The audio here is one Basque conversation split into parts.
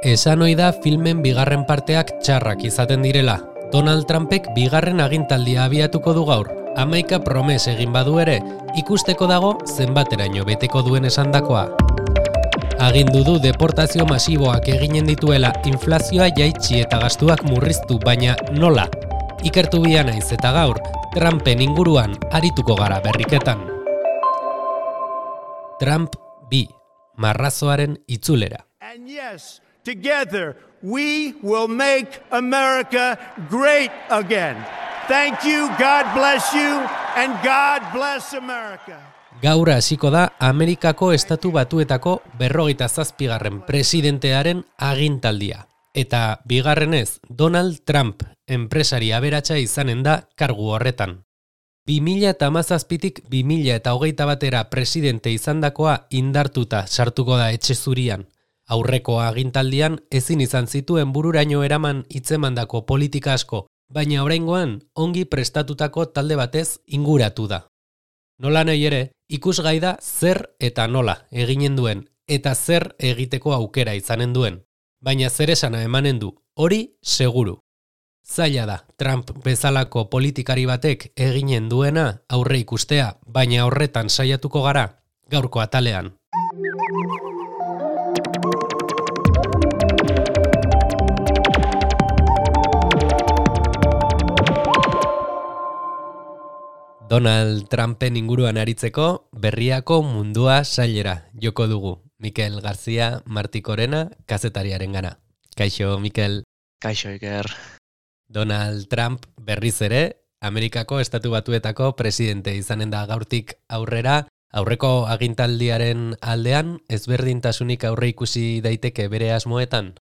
Esan ohi da filmen bigarren parteak txarrak izaten direla. Donald Trumpek bigarren agintaldia abiatuko du gaur. 11 promes egin badu ere, ikusteko dago zenbateraino beteko duen esandakoa. Agindu du deportazio masiboak eginen dituela, inflazioa jaitsi eta gastuak murriztu, baina nola? Ikertu bia naiz eta gaur, Trumpen inguruan arituko gara berriketan. Trump 2. Marrazoaren itzulera. And yes, together we will make America great again. Thank you, God bless you, and God bless America. Gaur hasiko da Amerikako Estatu Batuetako 47. presidentearen agintaldia. Eta bigarrenez, Donald Trump enpresari aberatsa izanen da kargu horretan. 2017tik 2021 presidente izandakoa indartuta sartuko da etxe zurian. Aurreko agintaldian ezin izan zituen bururaino eraman hitzemandako politika asko, baina oraingoan ongi prestatutako talde batez inguratu da. Nola nahi ere, ikusgai da zer eta nola eginen duen, eta zer egiteko aukera izanen duen. Baina zer esana emanen du, hori seguru. Zaila da, Trump bezalako politikari batek eginen duena aurre ikustea, baina horretan saiatuko gara, gaurko atalean. Donald Trumpen inguruan aritzeko berriako mundua sailera joko dugu. Mikel García Martikorena kazetariaren gana. Kaixo, Mikel. Kaixo, Iker. Donald Trump berriz ere, Amerikako Estatu Batuetako presidente izanen da gaurtik aurrera, aurreko agintaldiaren aldean ezberdintasunik aurre ikusi daiteke bere asmoetan?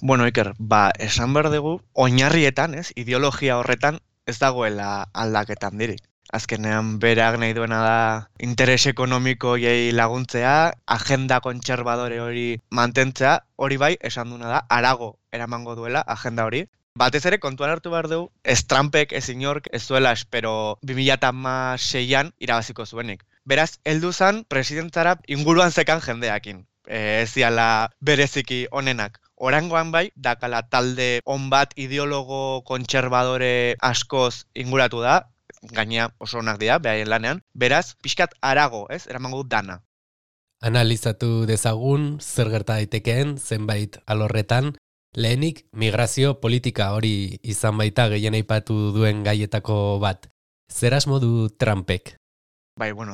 Bueno, Iker, esan behar dugu, oinarrietan, ideologia horretan ez dagoela aldaketan dirik. Azkenean berak nahi duena da interes ekonomikoei laguntzea, agenda kontserbadore hori mantentzea, hori bai, esan duena da, harago eramango duela agenda hori. Batez ere kontuan hartu behar dugu, ez Trumpek, ez inork, ez duela espero 2016an irabaziko zuenik. Beraz, heldu zan presidentzara inguruan zekan jendeakin. Ez diala bereziki onenak. Oraingoan bai, dakala talde on bat ideologo kontserbadore askoz inguratu da, gainea oso onak dira, behaien lanean. Beraz, pixkat harago, eramango dana. Analizatu dezagun, zer gerta daitekeen, zenbait alorretan, lehenik migrazio politika hori izan baita gehien aipatu duen gaietako bat. Zer asmo du Trumpek?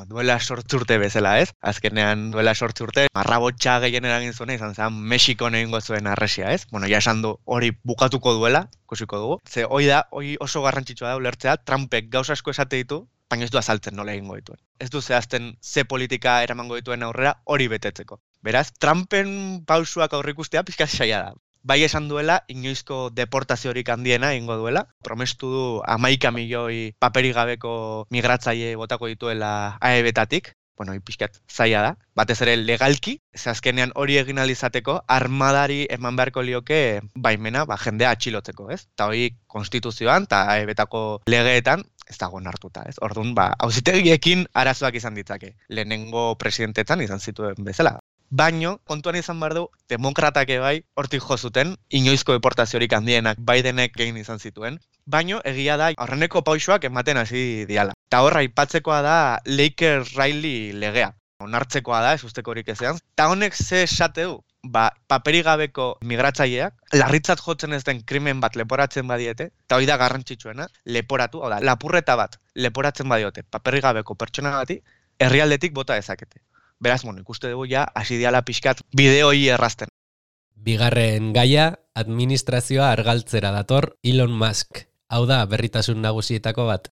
Duela 8 urte bezala, Azkenean duela 8 urte, marrabotxa gehien eragin zuena izan zen Mexikon egingo zuen arresia, ja esan du hori bukatuko duela, ikusiko dugu. Ze hori oso garrantzitsua da ulertzea, Trumpek gauza asko esate ditu, baina ez du azaltzen nola egingo dituen. Ez du zehazten ze politika eramango dituen aurrera hori betetzeko. Beraz, Trumpen pausuak aurrikustea pixka saia da. Bai esan duela, inoizko deportaziorik handiena egingo duela. Promestu du 11 milioi paperik gabeko migratzaile botako dituela AEB-tatik. Pixkat zaila da. Batez ere legalki, ze azkenean hori egin ahal izateko, armadari eman beharko lioke baimena jendea atxilotzeko, Eta hori konstituzioan eta AEB-tako legeetan ez dago onartuta, Orduan, auzitegiekin arazoak izan ditzake. Lehenengo presidentetan izan zituen bezala. Baino, kontuan izan behar du, demokratak bai hortik jo zuten, inoizko deportaziorik handienak Bidenek egin izan zituen, baino egia da aurreneko pausoak ematen hasi diala. Eta horra aipatzekoa da Laker Riley legea. Onartzekoa da, ez ustekorik ezean. Eta honek ze esate du? Paperik gabeko migratzaileak, larritzat jotzen ez den krimen bat leporatzen badiete, eta hori da garrantzitsuena, leporatu, lapurreta bat leporatzen badiote, paperik gabeko pertsona bati, herrialdetik bota dezakete. Beraz, ikuste dugu hasi diala pixkat bideoi errazten. Bigarren gaia, administrazioa argaltzera dator Elon Musk. Hau da berritasun nagusietako bat.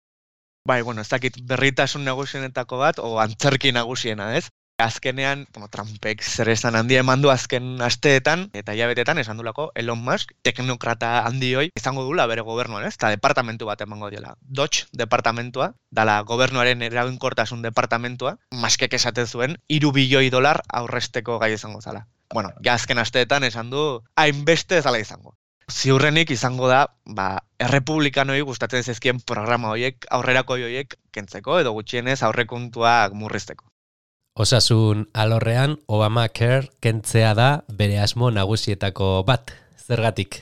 Ez dakit berritasun nagusienetako bat, o antzerki nagusiena, Azkenean, Trumpek zer esan handia eman du azken asteetan eta hilabetetan esan dulako Elon Musk, teknokrata handioi, izango dula bere gobernuan, eta departamentu bat emango diola. Dodge departamentua, dala gobernuaren eraginkortasun departamentua, Muskek esaten zuen, $3 bilioi aurresteko gai izango zala. Azken asteetan esan du, hainbeste ezala izango. Ziurrenik izango da, errepublikanoi gustatzen zezkien programa horiek, aurrerako horiek kentzeko, edo gutxienez aurrekontuak murrizteko. Osasun alorrean Obamacare kentzea da bere asmo nagusietako bat. Zergatik?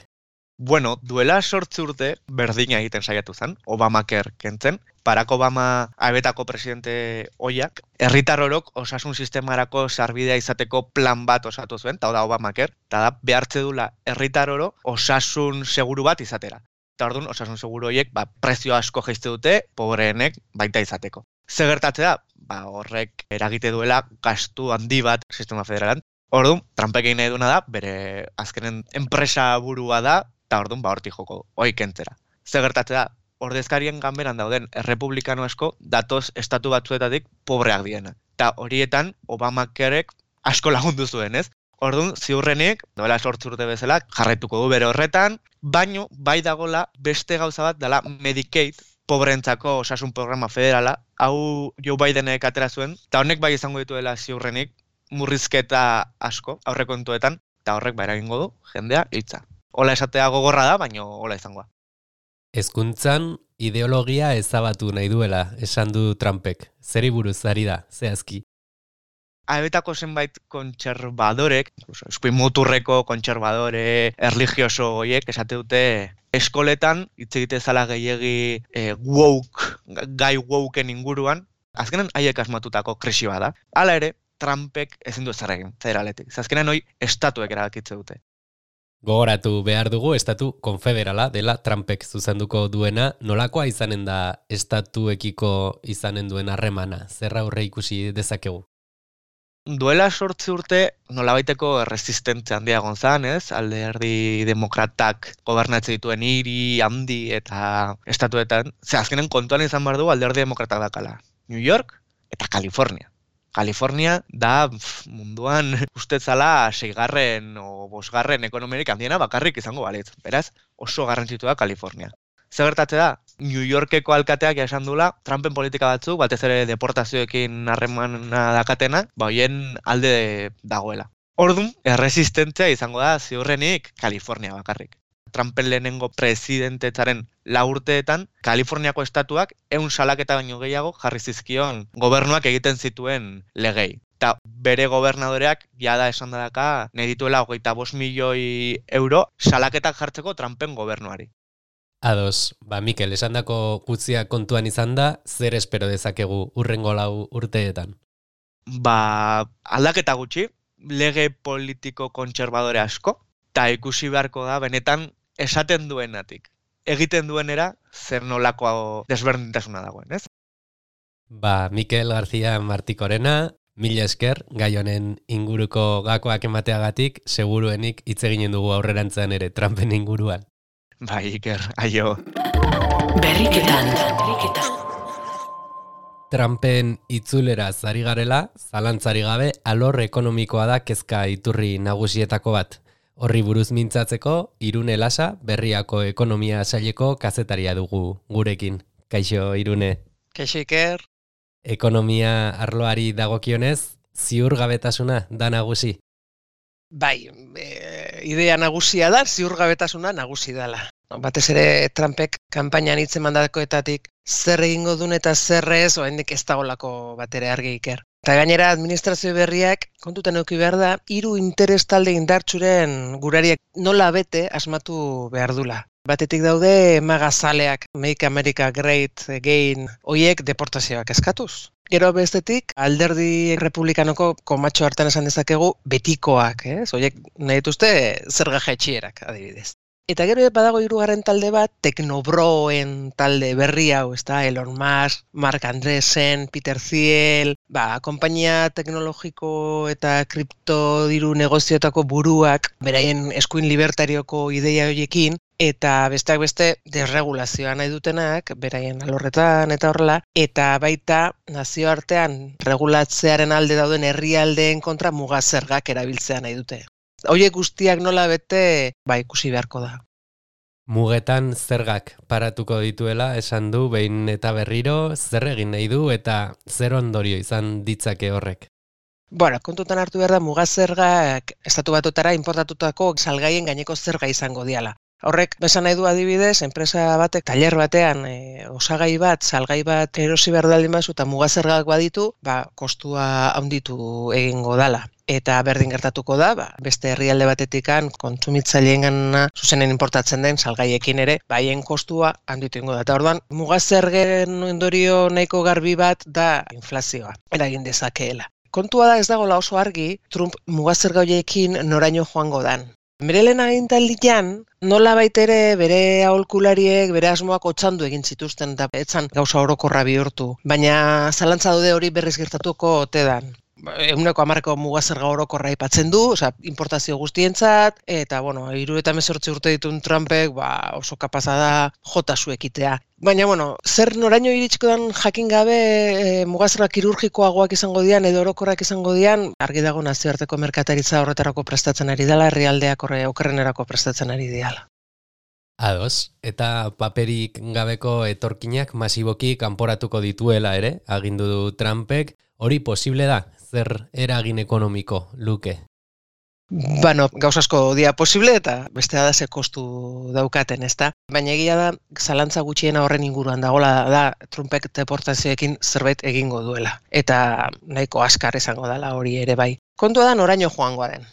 Bueno, duela 8 urte berdina egiten saiatu zen, Obamacare kentzen. Barack Obama abetako presidente oiak, herritar orok osasun sistemarako sarbidea izateko plan bat osatu zuen, eta da Obamacare, eta da behartze dula herritar oro osasun seguru bat izatera. Eta orduan, osasun seguru horiek prezio asko jaizte dute, pobreenek baita izateko. Ze gertatze da? Horrek eragite duela gastu handi bat sistema federalan. Orduan, Trumpek egin nahi duena da, bere azkenen enpresa burua da, eta orduan hortik joko, hoi kentzera. Ze gertatze da? Ordezkarien ganberan dauden errepublikano asko datoz estatu batzuetatik pobreak diena. Eta horietan Obamacarek asko lagundu zuen, ez? Orduan, ziurrenik, doela 8 urte bezala, jarraituko du bere horretan, baino bai dagola beste gauza bat dela Medicaid, pobreentzako osasun programa federala, hau Joe Bidenek atera zuen, eta honek bai izango dituela ziurrenik murrizketa asko aurrekontuetan, eta horrek eragingo du jendea hitza. Hola esatea gogorra da, baino hola izangoa. Hezkuntzan ideologia ezabatu nahi duela, esan du Trumpek. Zeri buruz ari da, zehazki? Abetako zenbait kontserbadorek, eskuin muturreko kontserbadore, erligioso horiek, esate dute eskoletan, hitz egite zala gehiegi gai woken inguruan, azkenan haiek asmatutako krisi bada. Hala ere, Trumpek ezin du zer egin, federaletik. Azkenan hoi estatuek erabakitze dute. Gogoratu behar dugu estatu konfederala dela Trumpek zuzenduko duena, nolakoa izanen da estatuekiko izanen duen harremana, zer aurre ikusi dezakegu? Duela 8 urte nolabaiteko erresistentzia handia gonzan, ez? Alderdi demokratak gobernatzen dituen hiri, handi eta estatuetan. Ze azkenen kontuan izan behar dugu alderdi demokratak dakala. New York eta California. California da munduan ustetzala 6. o 5. ekonomiarik handiena bakarrik izango balitz. Beraz, oso garrantzitua da California. Zer gertatze da? New Yorkeko alkateak esan dula, Trumpen politika batzuk, batez ere deportazioekin harremana dakatena, hoien alde dagoela. Orduan, erresistentzia izango da ziurrenik California bakarrik. Trumpen lehenengo presidentetzaren 4 urteetan, Kaliforniako estatuak 100 salaketa baino gehiago jarri zizkion gobernuak egiten zituen legei. Eta bere gobernadoreak jada esan daka nahi dituela 25 milioi euro salaketak jartzeko Trumpen gobernuari. Ados, Mikel, esandako guztia kontuan izan da, zer espero dezakegu hurrengo 4 urteetan? Aldaketa gutxi, lege politiko kontserbadore asko, eta ikusi beharko da benetan esaten duenatik. Egiten duenera zer nolako desberdintasuna dagoen, ez? Mikel García Martikorena, mila esker, gai honen inguruko gakoak emateagatik, seguruenik hitz eginen dugu aurrerantzean ere Trumpen inguruan. Iker, aio. Berriketan. Trumpen itzulera zari garela, zalantzari gabe, alor ekonomikoa da kezka iturri nagusietako bat. Horri buruz mintzatzeko, Irune Lasa, Berriako ekonomia saileko kazetaria dugu gurekin. Kaixo, Irune. Kaixo, Iker. Ekonomia arloari dagokionez, ziurgabetasuna da nagusi. Idea nagusia da, ziurgabetasuna nagusi dela. Batez ere Trumpek kanpainan hitz emandakoetatik zer egingo duen eta zer ez, oraindik ez dagolako batere argi, Iker. Eta gainera administrazio berriak kontutan eduki behar da, 3 interes talde indartsuren gurariak nola bete asmatu behar dula. Batetik daude magazaleak, Make America Great Again, hoiek deportazioak eskatuz. Gero bestetik, alderdi republikanoko komatxo hartan esan dezakegu betikoak, hoiek nahi dituzte zerga jaitsierak, adibidez. Eta gero badago 3. talde bat, teknobroen talde berri hau, Elon Musk, Mark Andreessen, Peter Thiel, konpainia teknologiko eta kripto diru negozioetako buruak, beraien eskuin libertarioko ideia horiekin, eta besteak beste desregulazioa nahi dutenak, beraien alorretan eta horrela, eta baita nazioartean regulatzearen alde dauden herrialdeen kontra mugazergak erabiltzea nahi dute. Horiek guztiak nola bete, ikusi beharko da. Mugetan zergak paratuko dituela, esan du behin eta berriro, zer egin nahi du eta zer ondorio izan ditzake horrek. Kontutan hartu behar da mugazergak estatu batutara importatutako salgaien gaineko zerga izango diala. Horrek besan nahi du adibidez, enpresa batek tailer batean osagai bat, salgai bat erosi behar daldin bazu eta mugazergak baditu, kostua handitu egingo dala. Eta berdin gertatuko da, beste herrialde batetikan kontsumitzaileengan zuzenen importatzen den salgaiekin ere, haien kostua handitu egingo da. Eta orduan, mugazergen ondorio nahiko garbi bat da inflazioa, eragin dezakeela. Kontua da ez dagoela oso argi, Trump mugazerga horiekin noraino joango dan. Bere lehen agintaldian, nola baitere bere aholkulariek, bere asmoak otzandu egin zituzten eta etzan gauza orokorra bihurtu. Baina zalantza daude hori berriz gertatuko ote dan. 110ko mugazerga orokorra aipatzen du, importazio guztientzat, eta, 78 urte ditun Trumpek, oso kapaza da jota zuekitea. Baina, zer noraino iritsiko dan jakin gabe mugazerga kirurgikoagoak izango dian edo orokorrak izango dian, argi dago nazioarteko merkataritza horretarako prestatzen ari dela, herrialdeak okerrenerako prestatzen ari diala. Ados, eta paperik gabeko etorkinak masiboki kanporatuko dituela ere, agindu du Trumpek, hori posible da, zer eragin ekonomiko luke? Gauz asko dia posible eta beste da ze kostu daukaten, ezta? Baina egia da, zalantza gutxiena horren inguruan dagoela da Trumpek deportazioekin zerbait egingo duela. Eta nahiko askar izango dela hori ere bai. Kontua da noraino joango den.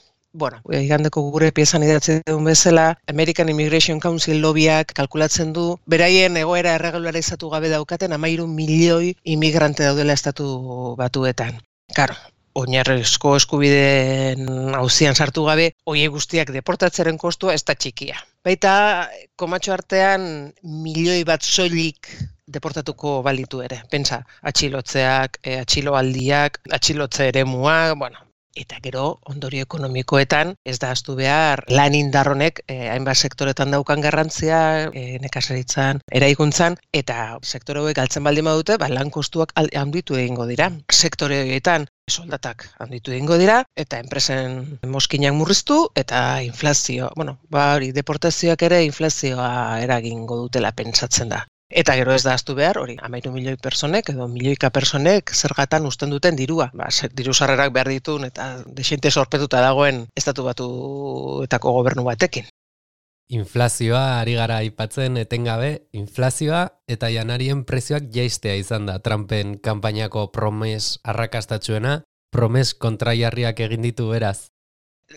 Igandeko gure piezan idatzen duen bezala, American Immigration Council lobbiak kalkulatzen du, beraien egoera erregularizatu gabe daukaten 13 milioi imigrante daudela estatu batuetan. Karo, oinarrizko eskubideen auzian sartu gabe, horiek guztiak deportatzeren kostua ez da txikia. Baita, komatxo artean, milioi bat soilik deportatuko balitu ere. Pentsa, atxilotzeak, atxiloaldiak, atxilotze eremuak, Eta gero, ondorio ekonomikoetan, ez da ahaztu behar, lan indarronek hainbat sektoretan daukan garrantzia, nekazaritzan, eraikuntzan, eta sektore hauek galtzen baldin badute, lan kostuak handitu egingo dira. Sektore horietan soldatak handitu egingo dira, eta enpresen moskinak murriztu, eta inflazio, deportazioak ere inflazioa eragingo dutela pentsatzen da. Eta gero ez da ahaztu behar, hori, 13 milioi personek edo milioika personek zergatan usten duten dirua. Diru sarrerak behar ditun eta desente sorpetuta dagoen estatu batuetako gobernu batekin. Inflazioa ari gara aipatzen etengabe, inflazioa eta janarien prezioak jaistea izan da Trumpen kanpainako promes arrakastatsuena, promes kontraiarriak egin ditu beraz.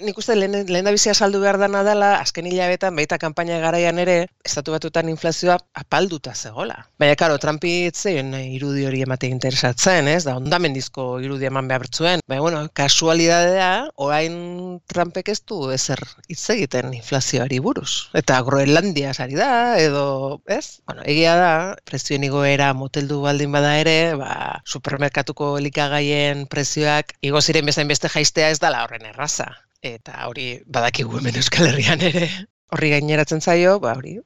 Nik uste lehen da bizia saldu behar dana dela, azken hilabetan, baita kanpaina garaian ere, estatu batutan inflazioa apalduta zegoela. Baina, karo, Trumpi itzein irudi hori emate interesatzen, ez? Da, ondamendizko irudi eman behar zuen. Baina, kasualidadea, orain Trumpek ez du ezer hitz egiten inflazioari buruz. Eta Groenlandia sari da, edo, ez? Egia da, prezioen igoera moteldu baldin bada ere, supermerkatuko elikagaien prezioak igo ziren bezain beste jaistea ez dala horren erraza. Eta hori badakigu hemen Euskal Herrian ere. Horri gaineratzen zaio,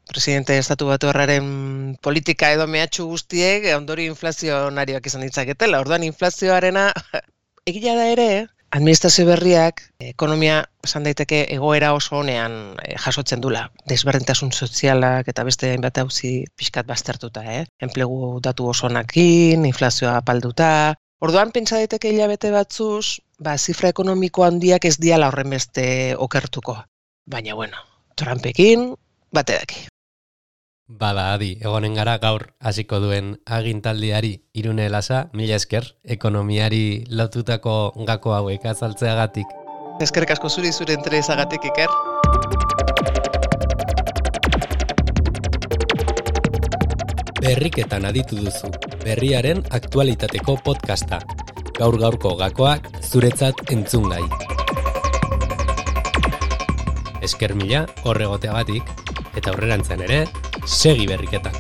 presidente estatu batuarraren politika edo mehatxu guztiek ondori inflazionarioak izan ditzaketela. Orduan inflazioarena, egia da ere, administrazio berriak, ekonomia esan daiteke egoera oso honean jasotzen dula. Desberdintasun sozialak eta beste hainbat auzi pixkat baztertuta, enplegu datu oso onakin, inflazioa apalduta. Orduan pentsa daiteke hilabete batzuz, zifra ekonomiko handiak ez diala horren beste okertuko. Baina, Trumpekin bate daki. Bada, adi, egonen gara gaur hasiko duen agintaldiari Irune Lasa, mila esker, ekonomiari lotutako gako hauek azaltzeagatik. Eskerrik asko zure interesagatik, Iker. Berriketan aditu duzu, berriaren aktualitateko podcasta. Gaur-gaurko gakoak zuretzat entzungai. Esker mila horregoteagatik, eta aurrerantzean ere, segi berriketan.